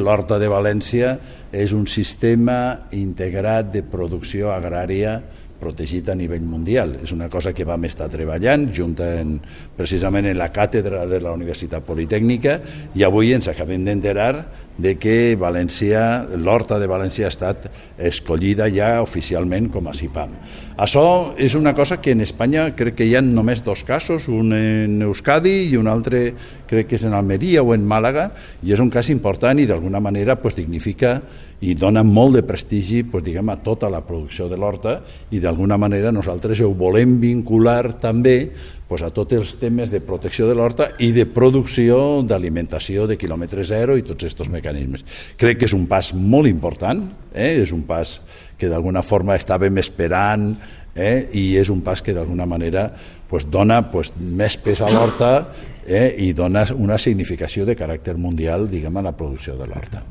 L'Horta de València és un sistema integrat de producció agrària protegit a nivell mundial. És una cosa que vam estar treballant precisament en la càtedra de la Universitat Politècnica, i avui ens acabem d'enterar de que l'Horta de València ha estat escollida ja oficialment com a CIPAM. Això és una cosa que en Espanya crec que hi ha només 2 casos, un en Euskadi i un altre crec que és en Almeria o en Màlaga, i és un cas important i d'alguna manera dignifica i dona molt de prestigi a tota la producció de l'horta, i d'alguna manera nosaltres ho volem vincular també a tots els temes de protecció de l'horta i de producció d'alimentació de quilòmetre zero i tots aquests mecanismes. Crec que és un pas molt important, és un pas que d'alguna forma estàvem esperant, i és un pas que d'alguna manera dona més pes a l'horta i dona una significació de caràcter mundial a la producció de l'horta.